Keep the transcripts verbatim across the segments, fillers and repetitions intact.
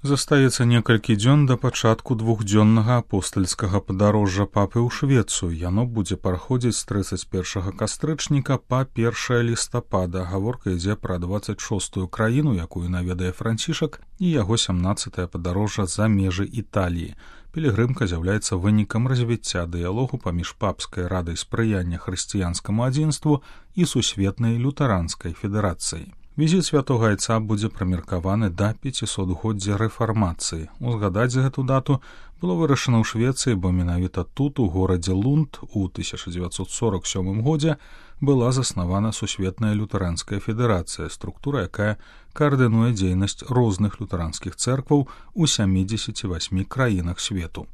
Застаецца некалькі дзён да пачатку двухдзённага апостальскага падарожжа папы ў Швецыю. Яно будзе праходзіць з трыццаць першага кастрычніка па першае лістапада. Гаворка ідзе пра дваццаць шостую краіну, якую наведае Францішак, і яго сямнаццатае падарожжа за межы Італіі. Пілігрымка з'яўляецца вынікам развіцця дыялогу паміж папскай радай спрыяння хрысціянскаму адзінству і сусветнай лютэранскай федэрацыяй. Візіт святога айца будзе прамеркаваны да пяцісотгоддзя рэфармацыі. Узгадаць гэту дату было вырашана ў Швецыі, бо менавіта тут, у горадзе Лунд, у тысяча дзевяцьсот сорок сёмым годзе была заснавана сусветная лютэранская федэрацыя, структура, якая каардынуе дзейнасць розных лютэранскіх цэркваў у сямідзесяці васьмі краінах свету.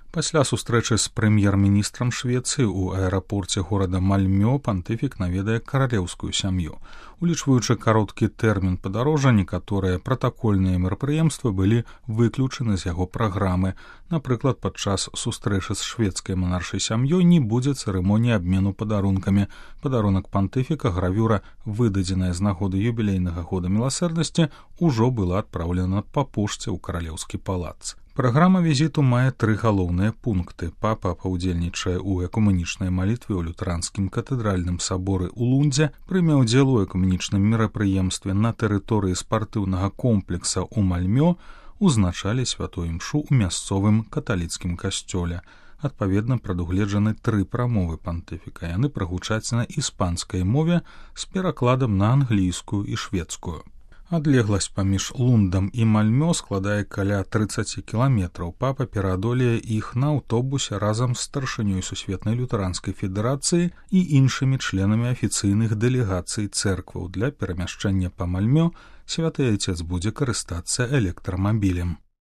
Пасля сустрэчы з прэм'ер-міністрам Швецыі ў аэрапорце горада Мальмё пантыфік наведае каралеўскую сям'ю. Улічваючы кароткі тэрмін падарожжа, некаторыя пратакольныя мерапрыемствы былі выключаны з яго праграмы. Напрыклад, падчас сустрэчы з шведскай манаршай сям'ёй не будзе цырымоніі абмену падарункамі. Падарунак пантыфіка, гравюра, выдадзеная з нагоды юбілейнага года міласэрнасці, ужо была адпраўлена па пошце ў каралеўскі палац. Праграма візіту мае тры галоўныя пункты. Папа паўдзельнічае ў экумэнічнай малітве ў лютэранскім катэдральным саборы ў Лундзе, прыме ўдзел у экумэнічным мерапрыемстве на тэрыторыі спартыўнага комплекса ў Мальмё, узначалі святую імшу ў мясцовым каталіцкім касцёле. Адпаведна, прадугледжаны тры прамовы пантыфіка. Яны прагучаць на іспанскай мове з перакладам на англійскую і шведскую. Адлегласць паміж Лундам і Мальмё складае каля трыццаць кіламетраў. Папа пераадолее іх на аўтобусе разам з старшынёй сусветнай лютэранскай федэрацыі і іншымі членамі афіцыйных дэлегацый цэркваў. Для перамяшчэння па Мальмё святы айцец будзе карыстацца электрамабілем.